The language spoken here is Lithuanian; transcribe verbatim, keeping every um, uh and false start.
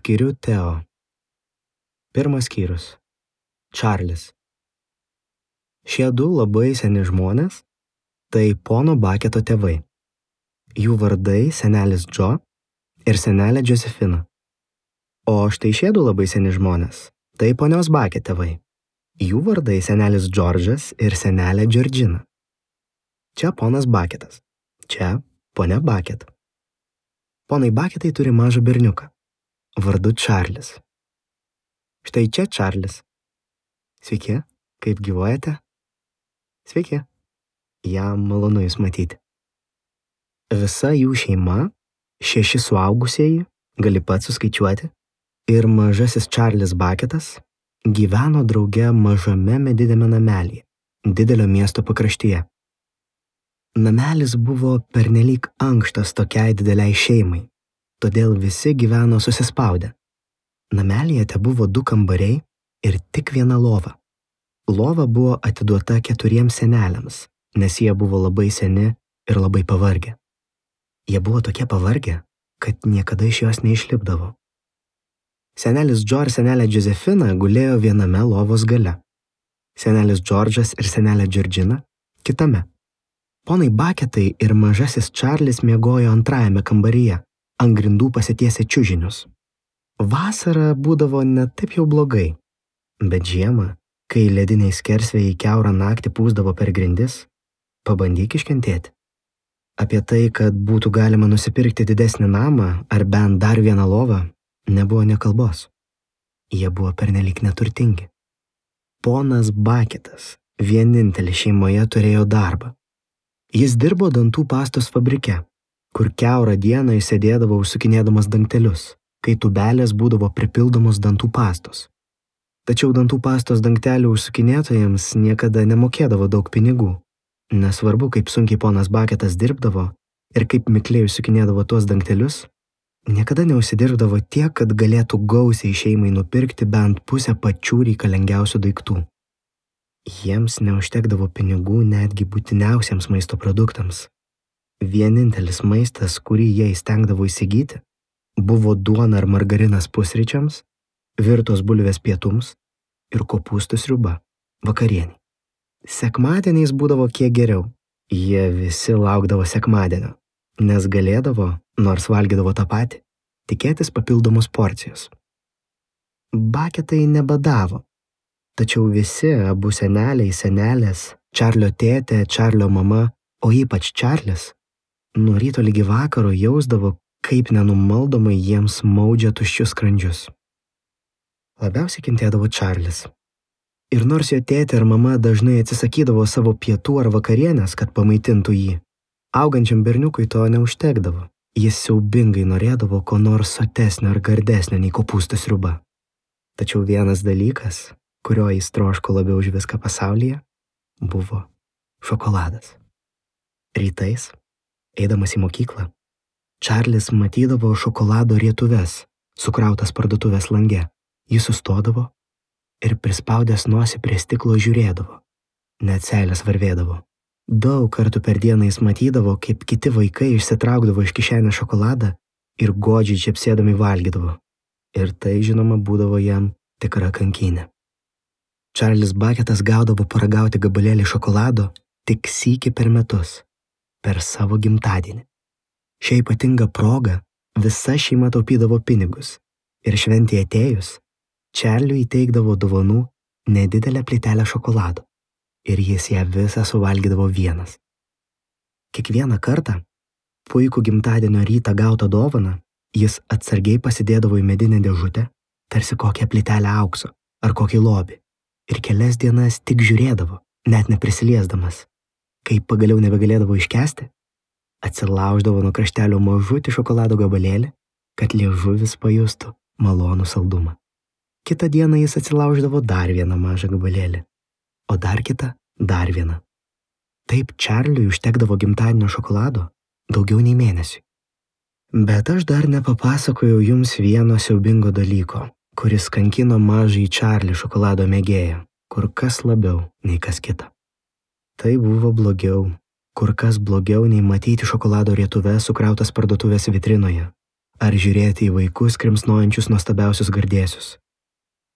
Skiriu Teo. Pirmas skyrius. Čarlis. Šie du labai seni žmonės, tai pono Baketo tėvai. Jų vardai senelis Džo ir senelė Džosefina. O štai šie du labai seni žmonės, tai ponios Baket tėvai. Jų vardai senelis Džordžas ir senelė Džordžina. Čia ponas Baketas, čia ponia Baket. Ponai Baketai turi mažą berniuką, vardu Čarlis. Štai čia Čarlis. Sveiki, kaip gyvuojate? Sveiki, jam malonu jūs matyti. Visa jų šeima, šeši suaugusieji, gali pats suskaičiuoti, ir mažasis Čarlis Baketas gyveno drauge mažame mediniame namelyje, didelio miesto pakraštyje. Namelis buvo pernelyg ankštas tokiai dideliai šeimai, todėl visi gyveno susispaudę. Namelyje tebuvo du kambariai ir tik viena lova. Lova buvo atiduota keturiems seneliams, nes jie buvo labai seni ir labai pavargę. Jie buvo tokie pavargę, kad niekada iš jos neišlipdavo. Senelis Džo ir senelė Džozefina gulėjo viename lovos gale. Senelis Džordžas ir senelė Džordžina kitame. Ponai Baketai ir mažasis Čarlis miegojo antrajame kambaryje, ant grindų pasitiesę čiužinius. Vasara būdavo ne taip jau blogai, bet žiemą, kai lediniai skersvėjai kiaurą naktį pūsdavo per grindis, pabandyk iškentėti. Apie tai, kad būtų galima nusipirkti didesnį namą ar bent dar vieną lovą, nebuvo nė kalbos. Jie buvo pernelyg neturtingi. Ponas Baketas vienintelis šeimoje turėjo darbą. Jis dirbo dantų pastos fabrike, kur kiaurą dieną jis sėdėdavo užsukinėdamas dangtelius, kai tubelės būdavo pripildomos dantų pastos. Tačiau dantų pastos dangtelių užsukinėtojams niekada nemokėdavo daug pinigų. Nesvarbu, kaip sunkiai ponas Baketas dirbdavo ir kaip mikliai užsukinėdavo tuos dangtelius, niekada neužsidirbdavo tiek, kad galėtų gausiai šeimai nupirkti bent pusę pačių reikalingiausių daiktų. Jiems neužtekdavo pinigų netgi būtiniausiems maisto produktams. Vienintelis maistas, kurį jie įstengdavo įsigyti, buvo duona ar margarinas pusryčiams, virtos bulvės pietums ir kopūstų sriuba vakarienei. Sekmadieniais būdavo kiek geriau. Jie visi laukdavo sekmadienio, nes galėdavo, nors valgydavo tą patį, tikėtis papildomos porcijos. Baketai nebadavo, tačiau visi abu seneliai, senelės, Čarlio tėtė, Čarlio mama, o ypač Čarlis, nuo ryto ligi vakaro jausdavo, kaip nenumaldomai jiems maudžia tuščius skrandžius. Labiausiai kentėdavo Čarlis. Ir nors jo tėtė ir mama dažnai atsisakydavo savo pietų ar vakarienės, kad pamaitintų jį, augančiam berniukui to neužtekdavo. Jis siaubingai norėdavo ko nors sotesnio ar gardesnio nei kopūstų sriuba. Tačiau vienas dalykas, kurio jis troško labiau už viską pasaulyje, buvo šokoladas. Rytais, eidamas į mokyklą, Čarlis matydavo šokolado rietuves, sukrautas parduotuvės lange. Jis sustodavo ir prispaudęs nosį prie stiklo žiūrėdavo. Net seilės varvėdavo. Daug kartų per dieną jis matydavo, kaip kiti vaikai išsitraukdavo iš kišenės šokoladą ir godžiai čepsėdami valgydavo. Ir tai, žinoma, būdavo jam tikra kankynė. Čarlis Baketas gaudavo paragauti gabalėlį šokolado tik sykį per metus, per savo gimtadienį. Šią ypatingą progą visa šeima taupydavo pinigus ir šventėje atėjus, Čarliui įteikdavo dovanų nedidelę plytelę šokolado ir jis ją visą suvalgydavo vienas. Kiekvieną kartą, puikų gimtadienio rytą gautą dovaną, jis atsargiai pasidėdavo į medinę dėžutę, tarsi kokią plytelę aukso ar kokį lobį, ir kelias dienas tik žiūrėdavo, net neprisiliesdamas. Kai pagaliau nebegalėdavo iškęsti, atsilauždavo nuo kraštelio mažutį šokolado gabalėlį, kad liežuvis pajustų malonų saldumą. Kitą dieną jis atsilauždavo dar vieną mažą gabalėlį, o dar kitą dar vieną. Taip Čarliui užtekdavo gimtadienio šokolado daugiau nei mėnesiui. Bet aš dar nepapasakojau jums vieno siaubingo dalyko, kuris kankino mažąjį Čarlį šokolado mėgėją, kur kas labiau nei kas kita. Tai buvo blogiau, kur kas blogiau nei matyti šokolado rietuves sukrautas parduotuvės vitrinoje, ar žiūrėti į vaikus krimsnojančius nuostabiausius gardėsius.